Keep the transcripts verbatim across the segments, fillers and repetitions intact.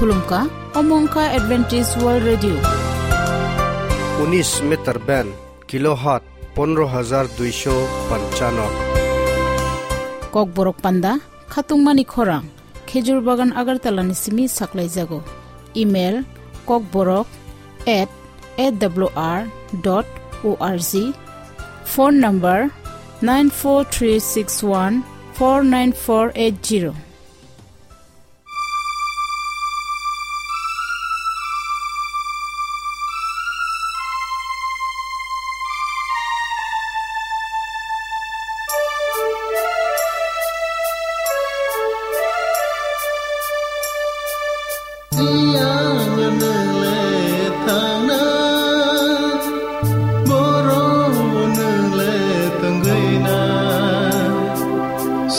Khulumkha, omo wngkha Adventist World Radio. Unis meter band, kilohertz pondro hajar duisho panchanno. Kokborok panda, khatungmani khorang, Khejur Bagan Agartala ni simi saklaijago. Email, kokborok at A W R dot O R G. Phone number, nine four three six one four nine four eight zero.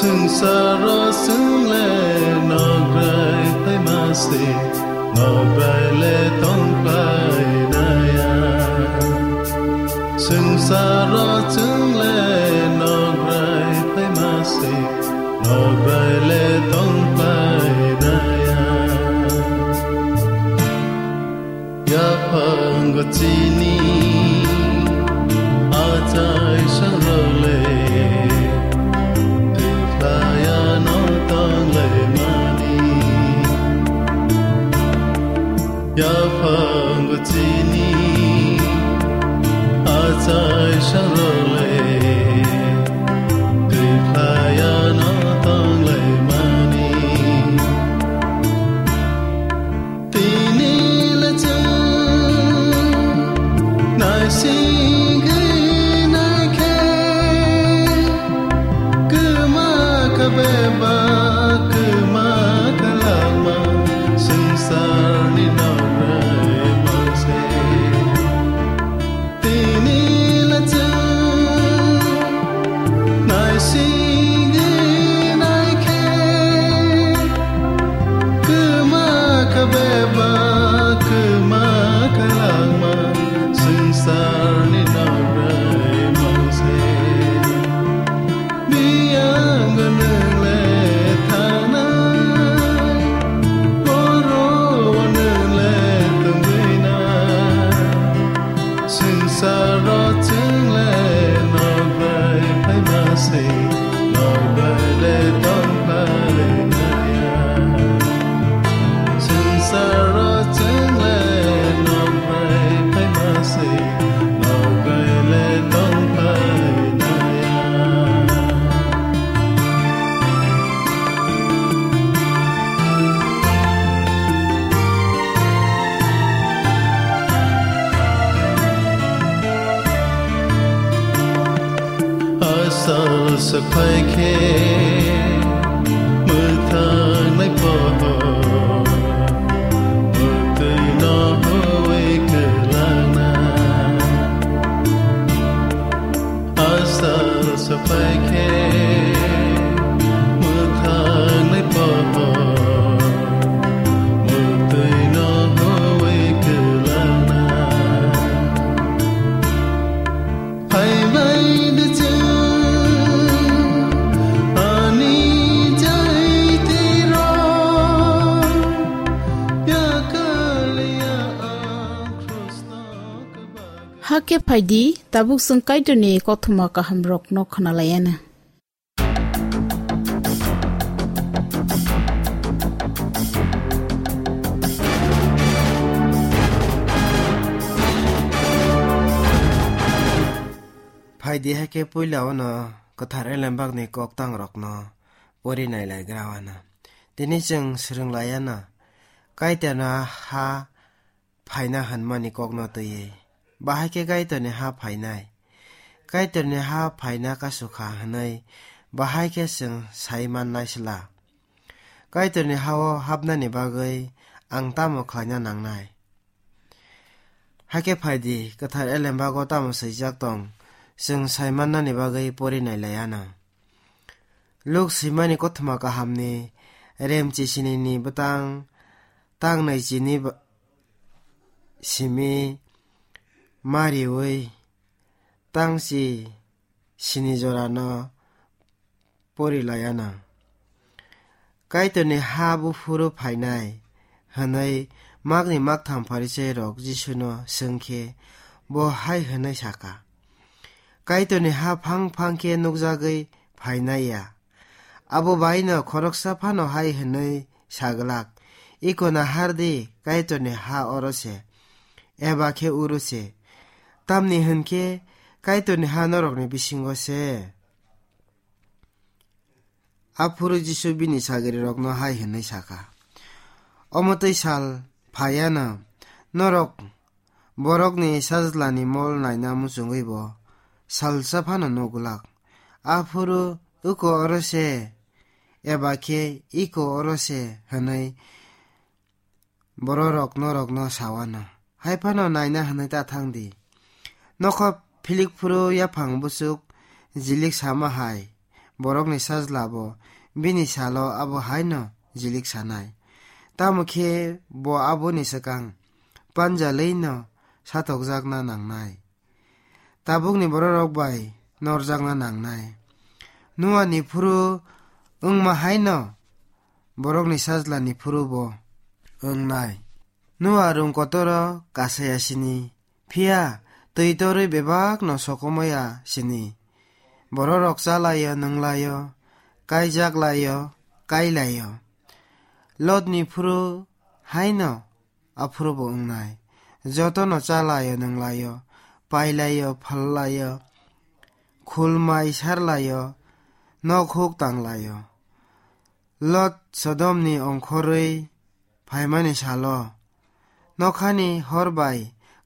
Swngcharo chwng le nokrai phaima se, nokrai le tong phainaya. Swngcharo chwng le nokrai phaima se, nokrai le tong phainaya. Yaphang chini achai sangrole, twi khlaiya no tong lai mani. Yaphang chini achai sangrole, twi khlaiya no tong lai mani. Tini le chwng naisingwi naikhe, kwma kha bebak, kwma kha langma, swngcharni nokrai mangse. Tini le chwng naisingwi naikhe, kwma kha bebak, kwma kha langma, swngcharni nokrai mangse. Biyang nwngle thangnai, borok nwngle tongwinai. Swngcharo chwng le nokrai phaima se, nokrai le tong phainaya. Swngcharo chwng le nokrai phaima se, nokrai le tong phainaya. Asal swphai khe mwthang nai pohor, mwtwi no huwi kwlangna. Asal swphai khe mwthang nai pohor, mwtwi no huwi kwlangna. Phaibai de chwng ani jai twi rw, yakal ya ang Khristo kwbak. Hakhe phaidi, tabuk chwng Kaitorni kothoma kahamrokno khwnalaiana. Phaidi, hakhe puila ono kwthar elembakni koktangrokno pori nailaigra wana. Tini chwng swrwng laiana Kaitorni ha phaina hwnmani kokno twiwi. Bahai khe Kaitorni ha phainai. Kaitorni ha phaina kasu kha hwnwi bahai khe chwng sai mannai sla. Kaitorni ha-o hapnani bagwi ang tamo khlaina nangnai? Hakhe phaidi, kwthar elembago tamo swijak tong, chwng sai mannani bagwi pori nailaiana. Luk swimani kothoma kahamni remchi sinini bwtang tangnai chini ba-, simi mariwi tangchi sini jorano pori laiana. Kaitorni ha buphuru phainai, hwnwi makni maktham Pharisairok Jisuno swng khe bo hai hwnwi sa kha, "Kaitorni ha phang phang khe nukjagwi phainai ya? Abo baino khoroksa phano hai hwnwi sa glak, 'Iko nahar di, Kaitorni ha oro se, eba khe uro se.' Tamni hwn khe Kaitorni ha norokni bisingo se." Aphuru Jisu bini sagirirokno hai hwnwi sa kha, "Omo twi sal phaiya no, norok Borokni Sajlani mol naina muchungwi bo salsa phano nuk glak. Aphuru 'Iko oro se,' eba khe 'Iko oro se,' hwnwi bororok norokno sawano. Hai phano naina hwnwi ta thang di. Nokha philik phuru yaphang buchuk jilik sama hai, Borokni Sajla bo bini salo abo haino jilik sanai. Tamo khe bo aboni swkang panjalwino satokjakna nangnai. Tabukni bororok bai norjakna nangnai. Nuani phuru wngma haino Borokni Sajlani phuru bo wngnai. Nua rung kotoro kasaya sini, phiya twi torwi bebakno sokomaya sini. Bororok chalaio, nwnglaio, kaijak laio, kailaio. Lotni phuru haino aphuru bo wngnai. Jotono chalaio, nwnglaio, pailaio, phallaio, khulmai sarlaio, nok huk tanglaio. Lot Sodomni ongkhorwi phaimani salo nokhani hor bai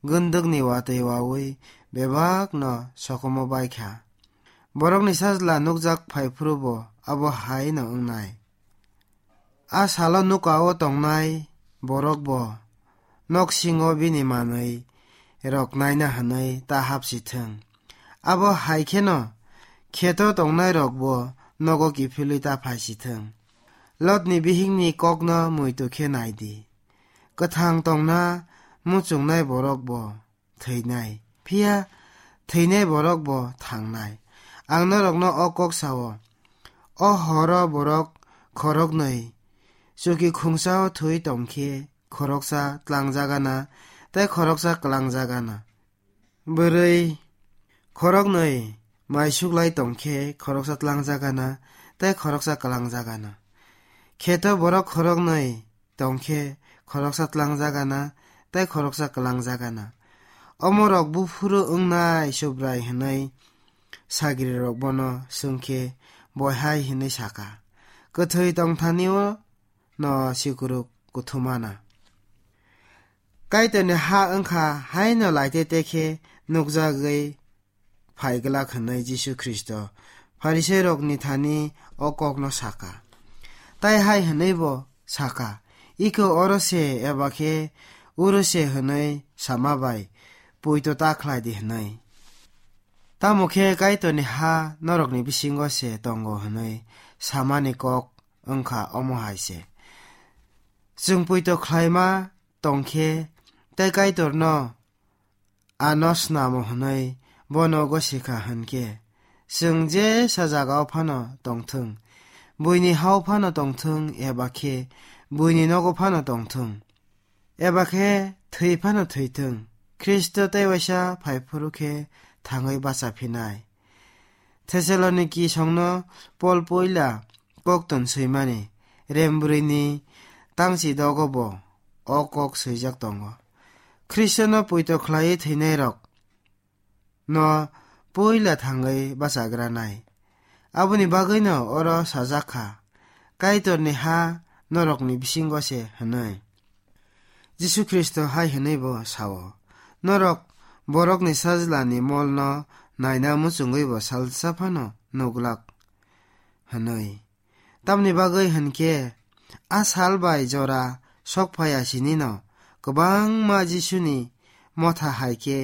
gwndwkni watwi wawi bebakno sokomwi bai kha. Borokni Sajla nukjak phai phuru bo abo hai no wngnai. A salo nukao tongnai borok bo nok singo bini manwi rok naina hwnwi ta hap si thung. Abo hai kheno kheto tongnai rok bo nogo kiphilwi ta phai si thung. Lotni bihikni kokno muitu khe nai di. Kwthang tongna muchungnai borok bo thwinai, phiya thwinai borok bo thangnai. Ang norokno o kok sao, o horo borok khoroknwi chuki khungsao thwi tongkhe khoroksa tlangjagana tei khoroksa klangjagana. Bwrwi khoroknwi mai suklai tongkhe khoroksa tlangjagana tei khoroksa klangjagana. Kheto borok khoroknwi tongkhe khoroksa tlangjagana tei khoroksa klangjagana. Omorok buphuru wngnai Subrai hwnwi sagrirok bono swngkhe bo hai hwnwi sakha, "Kwthwi tongthanio no sikuruk kuthumana. Kaitorni ha wngkha haino laite tekhe nukjagwi phai glak," hwnwi Jisu Khristo Pharisairokni thani o kokno sakha. Tai hai hwnwi bo sakha, "Iko oro se eba khe uro se hwnwi sama bai poito ta khlai di," hwnwi. Tamo khe Kaitorni ha norokni bisingo se tongo hwnwi samani kok wngkha omo hai se. Chwng poito khlaima tongkhe tei Kaitorno ano snamo hwnwi bono gosikha hwnkhe, chwng jesa jagao phano tongthwng, buini hao phano tongthwng eba khe buini nogo phano tongthwng, eba khe thwi phano thwithwng, Khristo tei waisa phai phuru khe thangwi bacha phinai. Thessaloniki songno Pol puila koktun swimani rembrwini tangchi dogo bo o kok swijak tongo. Khristono poito khlaiwi thwinairok no puila thangwi bachagranai. Aboni bagwino oro sajak kha, "Kaitorni ha norokni bisingo se," hwnwi. Jisu Khristo hai hwnwi bo sao, "Norok Borokni Sajlani molno naina muchungwi bo salsa phano nuglak," hwnwi. Tamni bagwi hwn khe, a sal bai jora sok phai ya sinino kwbangma Jisuni motha hai khe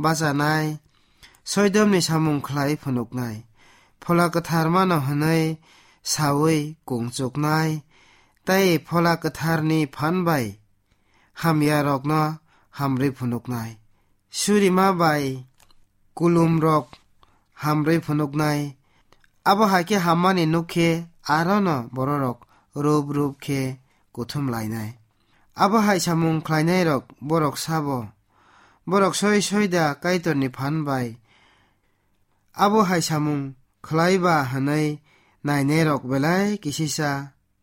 bachanai, soidomni samung khlai phunuknai, Phola Kwtharmano hwnwi saui kung chuknai, tei Phola Kwtharni phan bai hamyarokno hamrwi phunuknai, surima bai kulumrok hamrwi phunuknai. Abo hai khe hammani nuk khe arono bororok rup rup khe kuthum lainai. Abo hai samung khlainairok borok sabo, borok soi soi da Kaitorni phan bai abo hai samung khlai ba hwnwi nainairok belai kisisa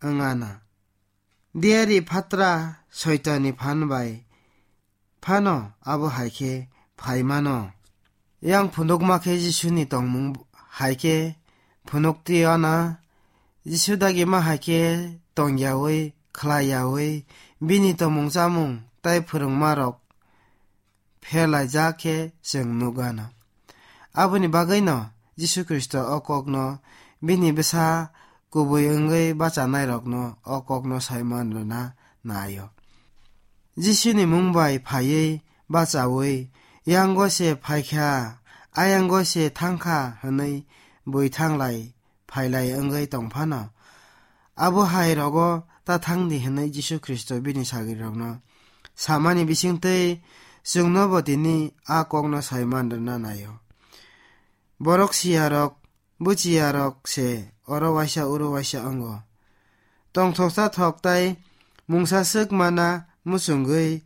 wng anw. Diari phatra Soitanni phan bai phano abo hai khe phai mano. Yang phunukma khe Jisuni tongmung hai khe phunukti anw. Jisu dagima hai khe tong yaui, khlai yaui, bini tongmung chamung tei phwrwngmarok pherlaijak khe chwng nuk anw. Aboni bagwino Jisu Khristo o kokno bini bwsa kubui wngwi bachanairokno o kokno saiman rwna naio. Jisuni mung bai phaiwi bachaui, "Yango se phaikha, ayango se thangkha," hwnwi bui thanglai phailai wngwi tong phano, abo hai rogo ta thang di hwnwi Jisu Khristo bini sagrirokno samani bisingtwi chwngnobo tini a kokno saiman rwna naio. Borok siyarok, buchiyarok se oro waisa uro waisa wngo. Tongthoksa thok tai mungsa swk mana muchungwi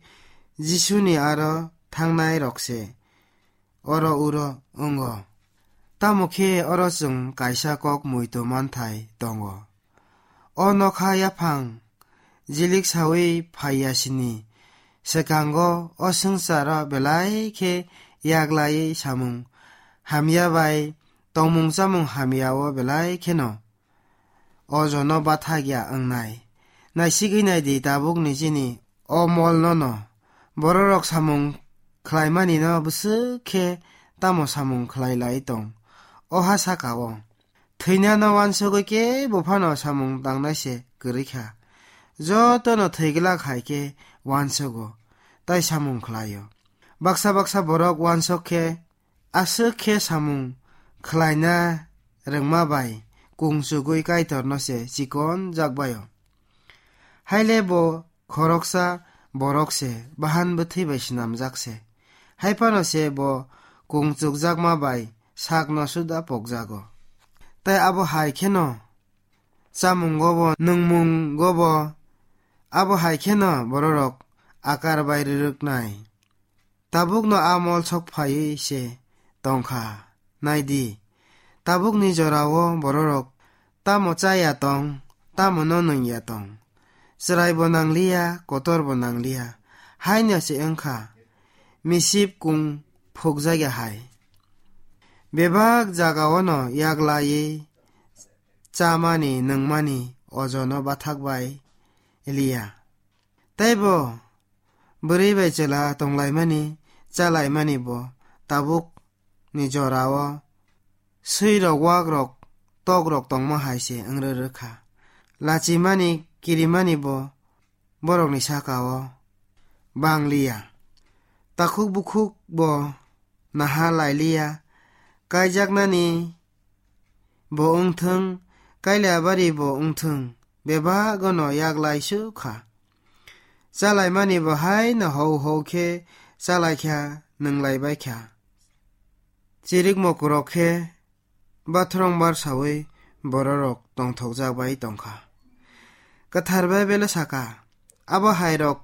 Jisuni aro thangnai rok se oro uro wngo. Tamo khe oro chwng kaisa kok muitu manthai tongo. O nokha yaphang jilik saui phaiya sini, swkango o swngcharo belai khe yaglaiwi samung hamya bai tongmung chamung hamya o belai kheno o jono bathakya wngnai. Naisigwi nai di tabukni chini o molno no. Bororok samung khlaimanino bwswk khe tamo samung khlai lai tong. O ha saka o thwinano uansugwi kebo phano samung tangnai se kwrwi kha. Jotono thwi glak hai khe uansugo, tai samung khlaio. Baksa baksa borok uansuk khe aswk khe samung khlaina rwngma bai kung chugwi Kaitorno se chikon jak bai-o. Haile bo khoroksa borok se, bahan bwthwi bai swnamjak se. Hai phano se bo kung chukjakma bai sakno suda pokjago. Tai abo hai kheno chamungo bo, nwngmungo bo, abo hai kheno bororok akar bai rwrwknai. Tabukno a mol sok phaiwi se tongkha. Nai di, tabukni jorao bororok tamo cha ya tong, tamo no nung ya tong, chwrai bo nangliya, kotor bo nangliya, haino se wngkha misip kung phukjakya hai. Bebak jagao no yaglaiwi chamani, nungmani ojono bathak bai liya. Tei bo bwrwi bai chwla tonglaimani, chalaimani bo tabuk ni jorao swirok, wakrok, tokrok tongma hai se wng rwrwkha. Lachimani, kirimani bo borokni sakao bangliya. Takhuk bukhuk bo naha lailiya. Kaijaknani bo wngthwng, kailabari bo wngthwng, bebagono yaglai su kha. Chalaimani bo haino hou hou khe chalaikha, nwnglaibaikha. Chirikmo kwrwk khe bathrwng bar saui bororok tongthokjak bai tongkha. Kwthar Baibelo saka, abo hairok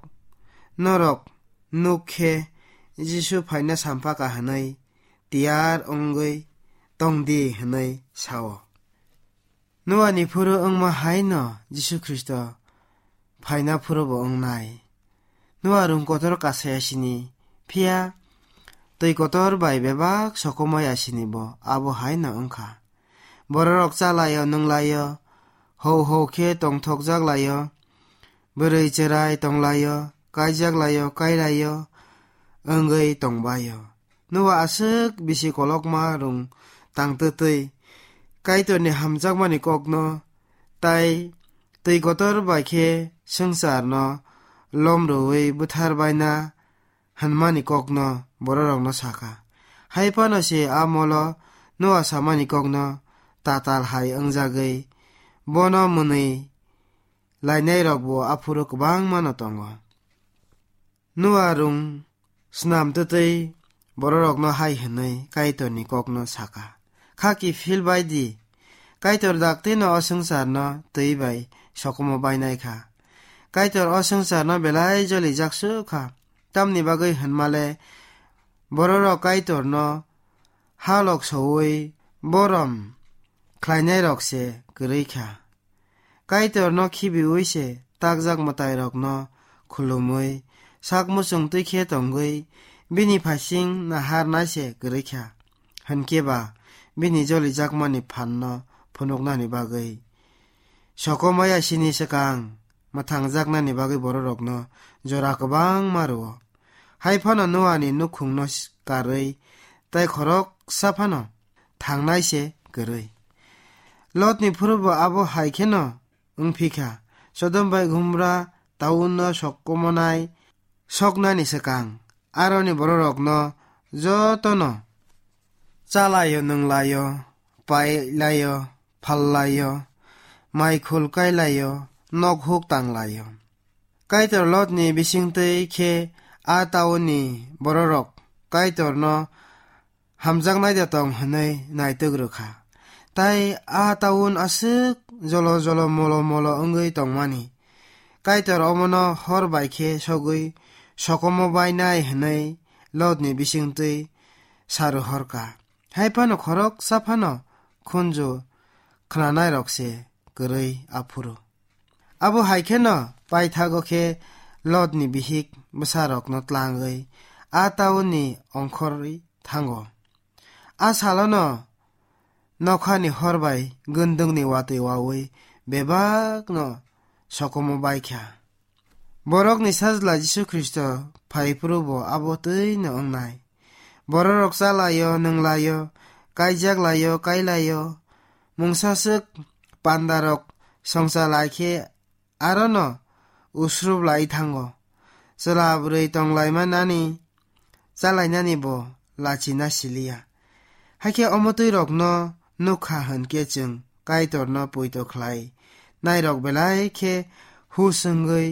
norok nuk khe Jisu phaina sampha kha hwnwi tiyar wngwi tong di hwnwi sao. Noani phuru wngma hai no Jisu Khristo phaina phuru bo wngnai. Noa rung kotor kasaya sini, phiya twi kotor bai bebak sokomoi asini bo abo hai no wngkha. Bororok chalaio, nunglaio, hou hou khe tongthokjak laio, bwrwi chwrai tonglaio, kaijak laio, kairaio, wngwi tongbaio. Noa aswk bisi kolokma rung tang twtwi Kaitorni hamjakmani kokno tai twi kotor bai khe swngcharno lom rwui buthar baina hwnmani kokno bororokno sakha. Hai phano se a molo Noa samani kokno tatal hai wngjagwi bono mwnwi lainairokbo aphuru kwbangmano tongo. Noa rung snam twtwi bororokno hai hwnwi Kaitorni kokno sakha, "Kha kiphil bai di, Kaitor daktino o swngcharno twi bai sokomo bainai kha. Kaitor o swngcharno belai jolijak su kha. Tamni bagwi hwnmale bororok Kaitorno halok soui borom khlainairok se kwrwi kha. Kaitorno khibiui se takjak mwtairokno khulumui, sak muchung twi khe tongwi, bini phaising naharnai se kwrwi kha. Hinkhe ba bini jolijakmani phanno phunuknani bagwi sokomaya sini swkang mwthangjaknani bagwi bororokno jora kwbangma rwo. Hai phano Noani nukhungno karwi tei khoroksa phano thangnai se kwrwi. Lotni phuru bo abo hai kheno wng phi kha. Sodom bai Gomora taunno sokomonai soknani swkang aroni bororokno jotono chalaio, nunglaio, pailaio, phallaio, mai khul kailaio, nok huk tanglaio. Kaitor Lotni bisingtwi khe a taunni bororok Kaitorno hamjaknai da tong hwnwi naitwk rw kha. Tai a taun aswk jolo jolo molo molo wngwi tongmani. Kaitor omono hor bai khe sogwi sokomo bainai hwnwi Lotni bisingtwi saru horka. Hai phano khoroksa phano khunju khnanairok se kwrwi aphuru. Abo hai kheno paithago khe Lotni bihik bwsarokno tlangwi a taunni ongkhorwi thango. A salono nokhani hor bai gwndwngni watwi waui bebakno sokomo bai kha. Borokni Sajla Jisu Khristo phai phuru bo abo twi no wngnai. Bororok chalaio, nunglaio, kaijak laio, kailaio, mungsa swk pandarok songcha lai khe arono usrup lai thango. Chwla bwrwi tonglaima nani chalainani bo lachina siliya. Hakhe omo twi rokno nukha hwnkhe chwng Kaitorno poito khlai nairok belai khe hus wngwi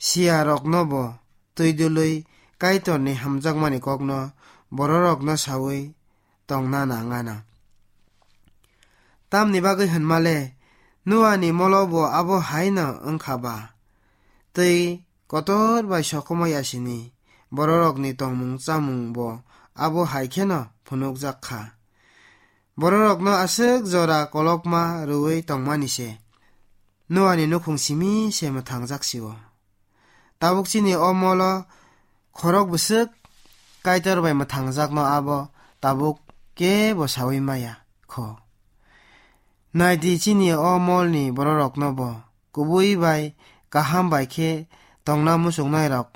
siya rokno bo twi dului Kaitorni hamjakmani kokno bororokno saui tongna nangana. Tamni bagwi hwnmale Noani molo bo abo haino wngkha ba. Twi kotor bai sokomoi asini bororokni tongmung chamung bo abo hai kheno phunukjak kha. Bororokno aswk jora kolokma rwui tongmani se Noani nukhung simi se mwthangjak sio. Tabuk chini o molo khorok bwswk Kaitor bai mwthangjakno abo tabuk kebo saui maya kho. Naidi chini o molni bororokno bo kubui bai kaham bai khe tongna muchungnairok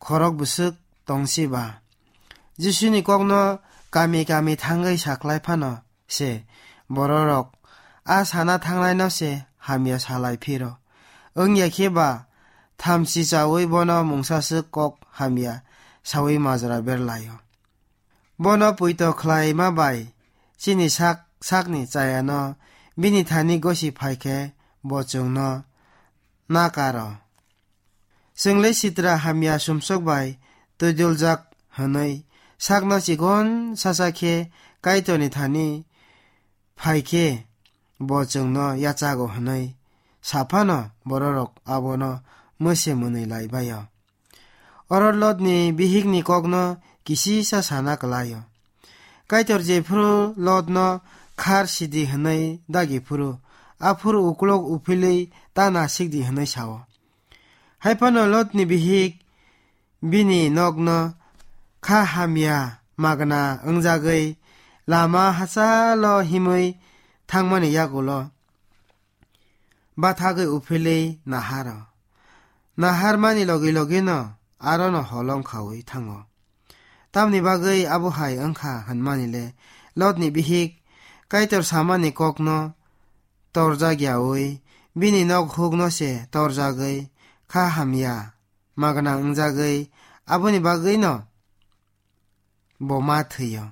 khorok bwswk tongsi ba. Jisuni kokno kami kami thangwi saklai phano se bororok a sana thangnaino se hamya salai phiro. Wngya khe ba thamchi chaui bono mungsa swk kok hamya saui majra berlaio. Bono puito khlaima bai chini sak sakni chayano bini thani gosi phai khe bo chwngno nakaro. Chwng le sitra hamya sumsok bai twiduljak hwnwi sakno chikon sacha khe Kaitorni thani phai khe bo chwngno yachago hwnwi sa phano bororok abono mwse mwnwi lai bai-o. Oro Lotni bihikni kokno kisisa sana kwlaio. Kaitor jephuru Lotno khar sidi hwnwi dagi phuru, aphuru uklok uphilwi ta nasikdi hwnwi sao. Hai phano Lotni bihik bini nokno kha hamya magna wngjagwi lama hachalo himwi thangmani yagulo bathagwi uphilwi naharo. Naharmani logi logino arono holong khaui thango. Tamni bagwi abo hai wngkha hwnmani le Lotni bihik Kaitor samani kokno torjak yaui bini nok hukno se torjagwi kha hamya magna wngjagwi aboni bagwino bo ma thwio.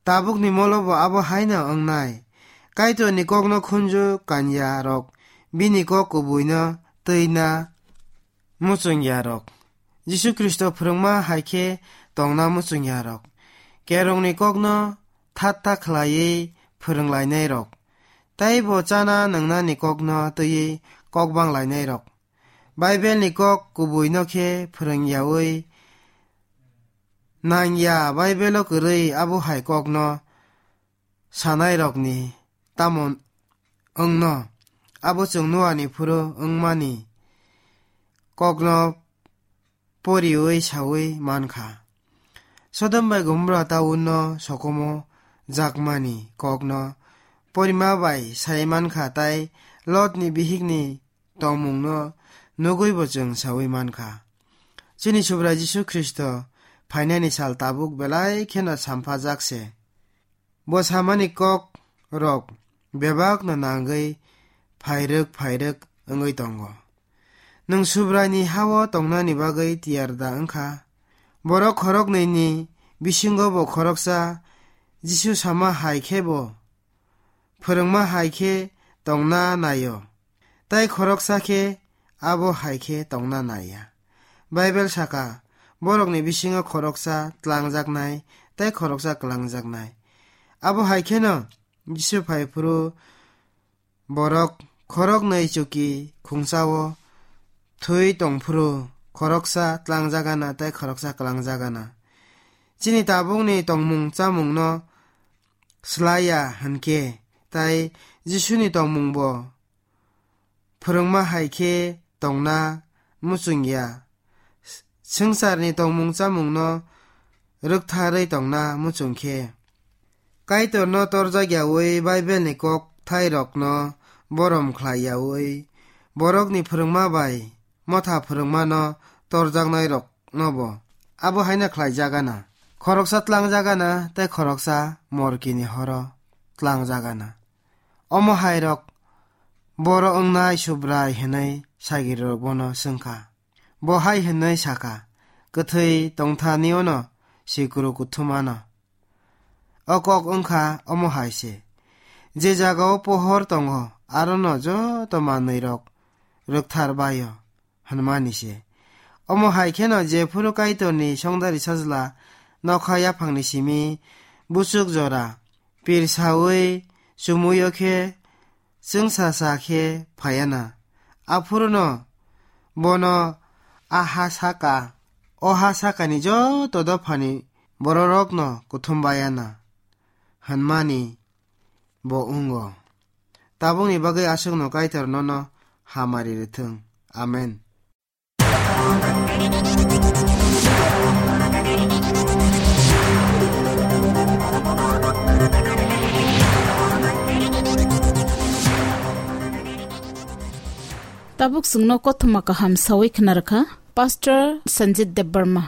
Tabukni molo bo abo haino wngnai. Kaitorni kokno khunju kanya rok bini kok kubuino twina muchungya rok. Jisu Khristo phwrwngma hai khe tongna muchungya rok. Kerongni kokno thatta khlaiwi phwrwnglainai rok. tei bo chana nwngnani kokno twiwi kok bang lainairok. Baibelni kok kubuino khe phrwng yaui nang ya, Baibelo kwrwi abo hai kokno sanairokni tamo wngno, abo chwng Noani phuru wngmani kokno poriui saui mankha. Sodom bai Gomorra taunno sokomo jakmani kokno porima bai sai mankha, tai Lotni bihikni tongmungno nugui bo chwng saui mankha. Chini Subrai Jisu Khristo phainani sal tabuk belai kheno samphajak se. Bo samani kok rok bebakno nangwi phairwk phairwk wngwi tongo. Nwng Subraini hao tongnani bagwi tiyar da wngkha? Borok khoroknwini bisingo bo khoroksa Jisu sama hai khe bo phwrwngma hai khe tongna naio, tei khoroksa khe abo hai khe tongna naiya. Baibel saka, borokni bisingo khoroksa tlangjaknai tei khoroksa kwlangjaknai. Abo hai kheno Jisu phai phuru borok khoroknwi chuki khungsao thwi tong phuru khoroksa tlangjagana tei khoroksa kwlangjagana. Chini tabukni tongmung chamungno slaiya hinkhe, tai Jisuni tongmungbo phwrwngma hai khe tongna muchungya. Swngcharni tongmung chamungno rwktharwi tongna muchung khe, Kaitorno torjak yaui Baibelni kok thairokno borom khlai yaui, borokni phwrwngma bai motha phwrwngmano torjaknairoknobo abo haino khlaijagana. Khoroksa tlangjagana tei khoroksa morkini horo tlangjagana. Omo hairok boro wngnai Subrai hinwi sagrirok bono swngkha. Bo hai hinwi sakha, kwthwi tongthaniono sikuru kuthumano. O kok wngkha omo hai se, je jagao pohor tongo, arono joto manwirok rwkthar baio, hwnmani se. Omo hai kheno jephuru Kaitorni songdari sajla nokha yaphangni simi buchuk jora pirsaui chumuio khe chwngsacha khe phaiana. Aphuruno bono a ha saka, o ha sakani joto dophani bororokno kuthum baiana, hwnmani bo wngo. Tabukni bagwi aswkno Kaitor nono hamari rwthwng. Amen. Tabuk chwngno kothoma kaham sawi khna rwkha Pastor Sanjit Debbarma.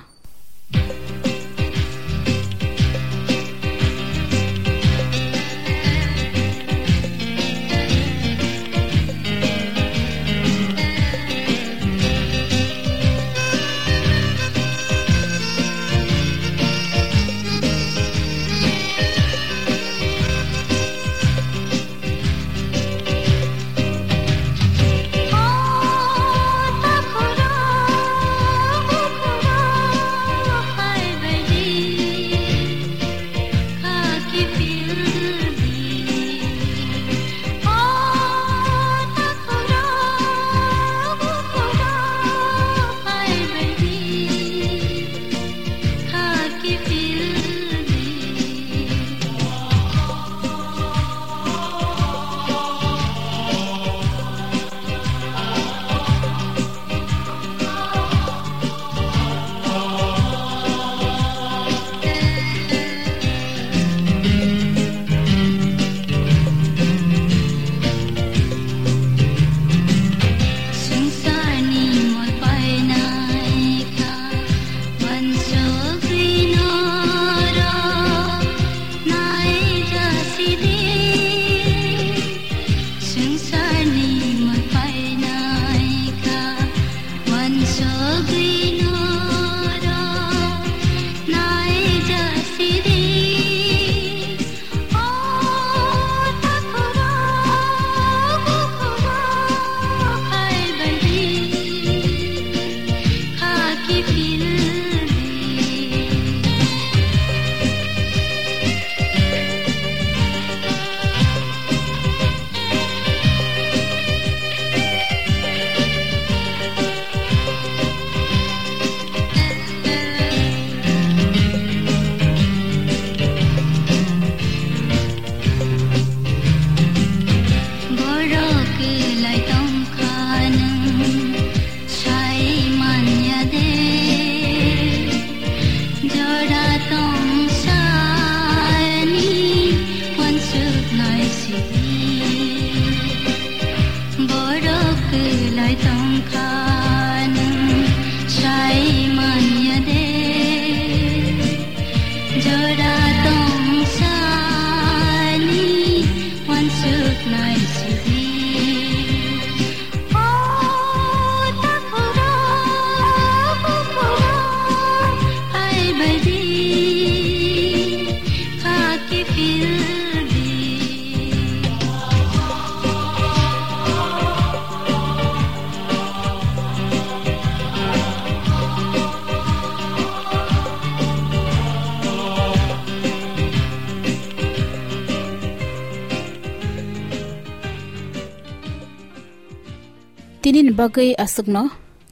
Tinini bagwi aswkno,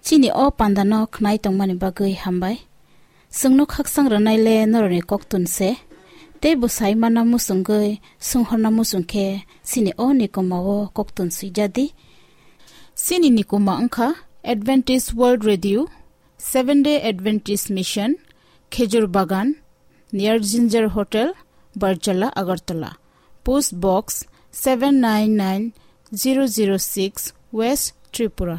chini o pandano khnai tongmani bagwi hambai. Chwngno khakchang rwnaile norokni koktun se, tei bwsai mana muchungwi swnghorna muchung khe chini o nikoma o koktun swijadi. Chini nikoma wngkha Adventist World Radio, Seventh Day Adventist Mission, Khejur Bagan, near Ginger Hotel, Barjala, Agartala. Post Box seven nine nine zero zero six, West Tripura.